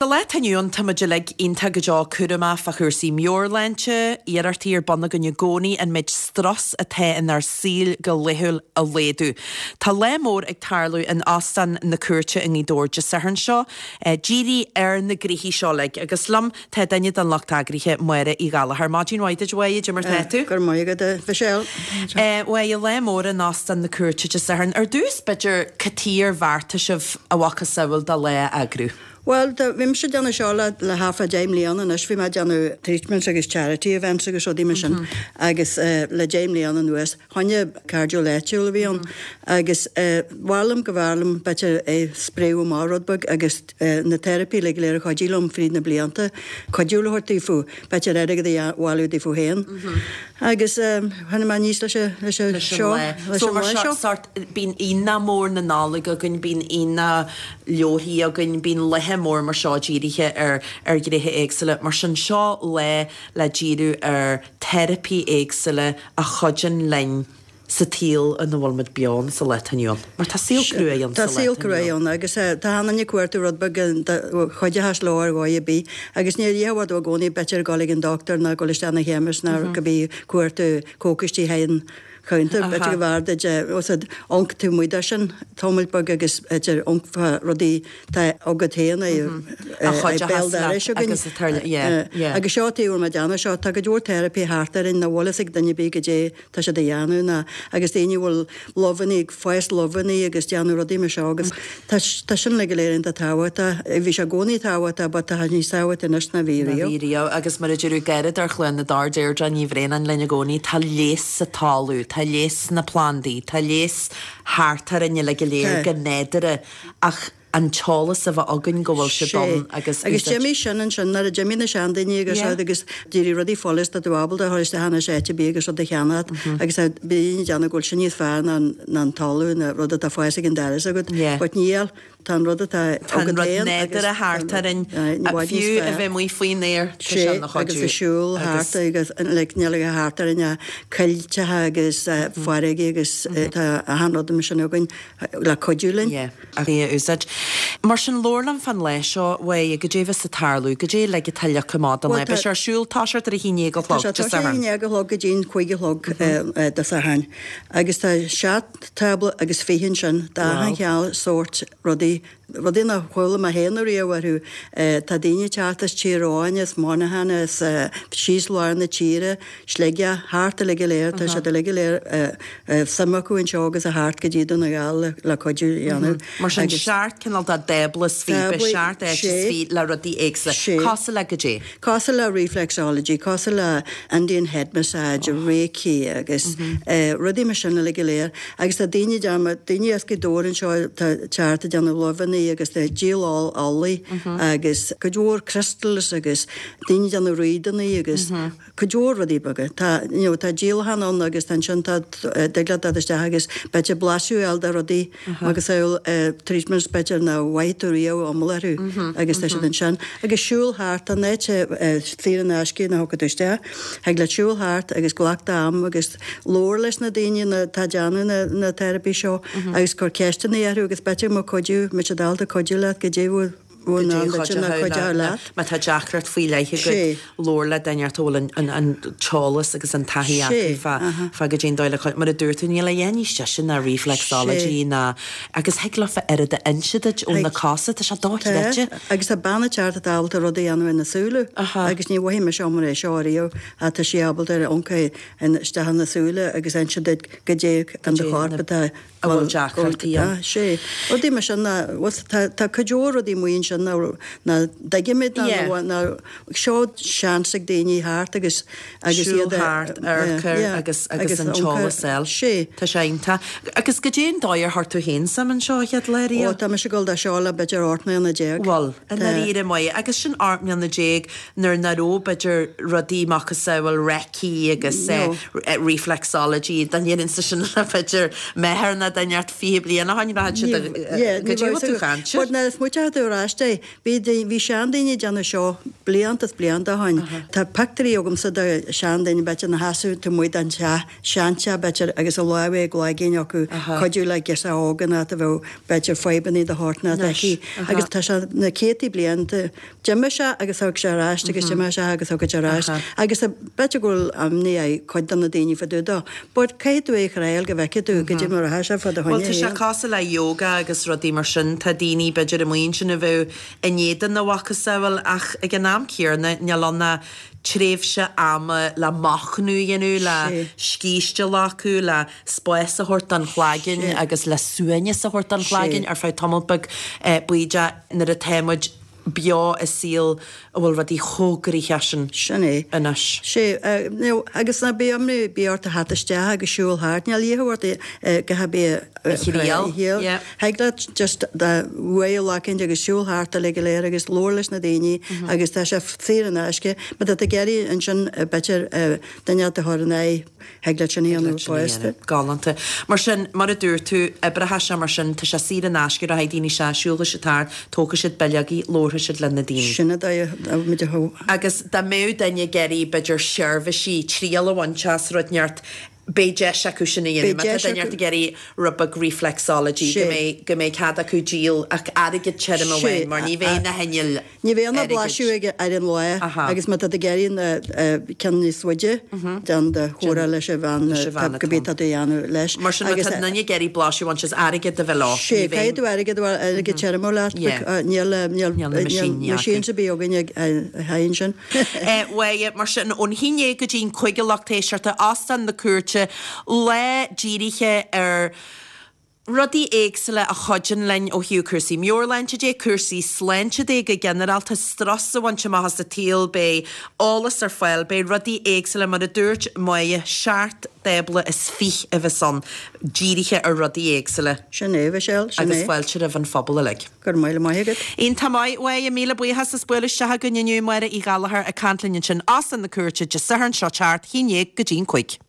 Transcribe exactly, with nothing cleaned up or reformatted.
Sa lá atá inniu ann, tá muid uilig iontach go deo cúramach fá chúrsaí meabhairshláinte, iarrachtaí ar bun againn i gcónaí an méid strus atá inár saol go laethúil a laghdú. Tá lá mór ag tarlú in Óstán na Cúirte i nGaoth Dobhair Dé Sathairn seo, dírithe ar na gnoithí seo uilig, agus liom tá duine den lucht eagraithe, Máire Uí Ghallchóir. Maidin mhaith duit, a Mháire, cad é mar tá tú? Go raibh maith agat, a Mhichelle. A Mháire, lá mór in Óstán na Cúirte Dé Sathairn. Ar dtús, b'fhéidir, cad chuige ar bheartaigh sibh a mhacasamhail de lá a eagrú? Bhuel, bhí mise ag déanamh seo le le thart fá deich mbliana anois, bhí mé ag déanamh treatments agus charity events agus rudaí mar sin agus le deich mbliana anuas, choinne cairdiúil áitiúil a bhí ann agus b'fhearr liom go b'fhearr liom b'fhéidir é spréadh amach rud beag agus na teiripí uilig go léir a chuidigh liom fríd na blianta, cuidiú le thabhairt daofa, b'fhéidir airgead a bhailiú daofa féin. Agus tháinig mé aníos leis an leis an seo, leis an lá seo. Sórt, bíonn aonach mór na Nollag againn, bíonn aonach leabharthaí againn, bíonn laethe mór mar seo dírithe ar ar ghnéithe éagsúla. Mar sin seo lá le díriú ar teiripí éagsúla a chuidíonn linn sa tsaol ina bhfuil muid beo ann sa lá atá inniu ann. Mar tá saol cruaidh ann sa lá atá inniu ann. Tá saol cruaidh ann agus tá achan duine ag cuartú rud beag a chuideochas leo ar dhóigh ar bith agus níor iarrfadh tú i gcónaí b'fhéidir dul ag an dochtúir ná dul isteach 'na chemist ná go bí cuartú cócaistí thigh an chuntar b'fhéidir go bhfearr duit os amharc taobh amuigh de sin tamall beag agus b'fhéidir amharc fá rudaí tá agat féin é béal dorais againn. Agus seo taobh ar mo déanamh seo tá go leor teiripí thart orainn nach bhfuil fhios ag duine ar bith goidé tá siad a dhéanamh ná agus daoine a bhfuil luibheanna ag fás luibheanna agus déanamh rudaí mar seo agus tá tá sin uilig go léir iontach tábhachtach. Bhí sé i gcónaí tábhachtach but tá sé níos tábhachtaí anois ná bhí riamh. Ná bhí riamh agus mar a deireadh gairid ar Chluain na dTor Deirdre Ní Bhraonáin linn i gcónaí tá leigheas sa talamh, tá leigheas sna plandaí, tá leigheas thart orainn uilig go léir go nádúrtha ach an t-eolas a bheith againn go bhfuil siad ann agus Agus d'imigh sin ansin nuair a d'imigh na seandaoine agus rud agus d'éirigh rudaí follas tá tú ábalta a dhul isteach anois áit ar bith agus rud a cheannacht agus tá daoine ag déanamh go bhfuil sin níos fearr ná ná an talamh ná rud atá fás ag an doras agat but níl tá an rud atá Tá an rud nádúrtha thart orainn fiú a bheith amuigh faoin aer tá sé ina chuidiú. Agus ag siúl thart agus like níl a thart orainn ach coillteacha agus farraigí agus tá achan rud mar sin againn le cuidiú linn. Yeah, é a úsáid. Mar sin, labhair liom fán lá seo, Mháire, goidé bheas ag tarlú, goidé uilig atá leagtha amach don lá. Beidh sé ar siúl toiseacht ar a haon déag a chlog Dé Sathairn. Tá sé a haon déag a chlog go dtí an cúig a chlog Dé Sathairn. Agus tá seacht tábla agus fiche ansin d'achan chineál sórt rudaí, rudaí nár chuala mé féin ariamh orthu. Tá daoine ag teacht as Tír Eoghain, as Monaghan, as síos lár na tíre, Sligeach, thart uilig go léir, tá siad uilig go léir suim acu anseo agus a thart go dtí Dún na nGall le cuidiú a dhéanamh. Mar sin, seacht cineál de dtábla is fiche, beidh seacht áit is fiche le rudaí éagsúla. Cosúil le goidé? Cosúil le reflexology, cosúil le Indian head massage, Reiki agus rudaí mar sin uilig go léir. Agus tá daoine ag déanamh, daoine as Gaoth Dobhair anseo atá ag teacht ag déanamh luibheanna agus tá díol olaí agus cuid mhór crystals agus daoine ag déanamh réadana agus cuid mhór rudaí beaga. Tá, you know, tá díolachán ann agus tá ansin tá, dtig leat dul isteach agus b'fhéidir blaiseadh a fháil de rudaí agus treatments b'fhéidir nach bhfaighidh tú riamh iomlán orthu agus tá siad ansin. Agus siúl thart, tá an áit saor in aisce nuair a thiocfaidh tú isteach, thig leat siúl thart agus glac d'am agus labhair leis na daoine atá ag déanamh na na teiripí seo agus cuir ceisteanna orthu agus b'fhéidir go mbeadh cuidiú, mbeidh siad ábalta cuidiú leat goidé bhfuil Má tá deacracht faoi leith agat, labhair le duine a bhfuil an t-eolas agus an taithí acu fá goidé an dóigh le cuidiú. Mar a dúirt tú, níl a dhath níos deise ná reflexology ná agus thig leofa oiread a inse duit ó na cosa, tá sé dochreidte. Agus tá bean ag teacht atá ábalta rudaí a dhéanamh ar na súile agus ní mhothaigh mise mar é seo ariamh ach tá sí ábalta amharc isteach ina súile agus inse duit goidé in do chorp atá a bhfuil deacrachtaí ann. Sea. Rudaí mar sin ná, bhuel, tá, tá cuid mhór rudaí amuigh ansin ná, ná dtuigimid ná, Yeah. ná, ná, seo seans ag daoine thart agus, agus Siúl iad a, thart, amharc air yeah, agus, agus agus an amharc t-eolas air. a fháil. Sea. Tá sé iontach. Agus goidé an dóigh ar chuir tú féin suim anseo a chéad lá Ó, riamh? tá mise ag dul do seo le b'fhéidir ocht mbliana déag. Bhuel, i Tá. ndáiríre maith. Agus sin ocht mbliana déag nuair nach raibh b'fhéidir rudaí macasamhail Reiki agus No. reflexology dá ndéarfainnse sin le b'fhéidir m'athair ná duine ort fiche bliain ó shin, bheadh siad Yeah, go dtí bhfuil tú ag caint. But nuair a smaoiteoidh tú ar ais ceist é. Bhí bhí seandaoine ag déanamh seo blianta is blianta ó shin. Tá pictiúirí agamsa de seandaoine b'fhéidir ina sheasamh taobh amuigh den teach, seanteach b'fhéidir, agus a lámha i gcloigeann acu, cuidiú le girseach óg nó a bheadh b'fhéidir fadhbannaí de shórt inteacht aici. Agus tá sé na céadtaí bliain, d'imigh sé agus thug sé ar ais agus d'imigh sé agus thug sé ar ais. Agus b'fhéidir go bhfuil imní ar cuid de na daoine fá dtaobh dó. But caithfidh tú é a thriail go bhfeicfidh tú goidé mar atá sé fá do Bhuel choinne tá sé féin. cosúil le yoga agus rudaí mar sin, tá daoine b'fhéidir amuigh ansin a bheadh in éadan a mhacasamhail ach ag an am céanna níl ann ach tréimhse ama le machnamh a dhéanamh, le scíste a ghlacadh, le spás a thabhairt don chlaigeann agus le suaimhneas a thabhairt don chlaigeann ar feadh tamall beag bídeach nuair atá muid beo i saol a bhfuil rudaí chomh gnoitheach sin Sin é. anois. Sé, agus ná bíodh imní ar bith ort a theacht isteach agus siúl thart, níl iachall ort go h-ar A thriail, yeah. Thig leat just do bhuaidh a ghlacaint agus siúl thart uilig go léir agus labhair leis na daoine agus tá sé saor in aisce. Má tá tú ag iarraidh ansin b'fhéidir duine a chur in aghaidh, thig leat sin a dhéanamh fosta. Galánta. Mar sin, mar a dúirt tú, oibreoidh sé mar sin, tá sé saor in aisce, rachaidh daoine isteach, siúlfaidh siad thart, tógfaidh siad bileogaí, labharfaidh siad le na daoine. Sin an dóigh a muid a thó. Agus dá mbeadh duine ag iarraidh b'fhéidir seirbhísí, triail a bhaint as rud inteacht, beidh deis acu sin a dhéanamh. Beidh Má tá deis duine acu. ag iarraidh rud beag reflexology, go Sé. mbeidh go mbeidh cead acu díol ach airgead tirim Sé, amháin, mar ní bheidh na hinnill Ní bheidh na airgid. blaiseadh ag ar an lá Aha. agus má tá tú ag iarraidh na ceann níos faide déan do chomhrá leis an bhean Leis an bhean go bhí tá tú a dhéanamh leis. Mar sin má Agus, tá duine ag iarraidh blaiseadh a bhaint as airgead a bheith leo. Sé, Ní bheidh- caithfidh tú airgead airgead tirim ó leat, Yeah. níl níl Níl na machine machine acu. a bhí againn ag a sin. Eh, Bhuel, mar sin ón haon déag go dtí an cúig a lucht éisteachta Óstán na Cúirte lá dírithe ar rudaí éagsúla a chuidíonn linn ó thaobh cúrsaí meabhairshláinte de, cúrsaí sláinte de go ginearálta strus a bhaint amach as an tsaol, beidh eolas ar fáil, beidh rudaí éagsúla mar a dúirt Máire seacht dtábla is fiche a bheas ann dírithe ar rudaí éagsúla Sin é Michelle, sin agus é. fáilte roimh an phobal uilig. Gur maith maith agat. Iontach maith uaidh míle buíochas as bualadh isteach againn inniu Máire Uí Ghallchóir ag caint linn ansin Óstán na Cúirte Dé Sathairn seo thart, haon déag go dtí an cúig.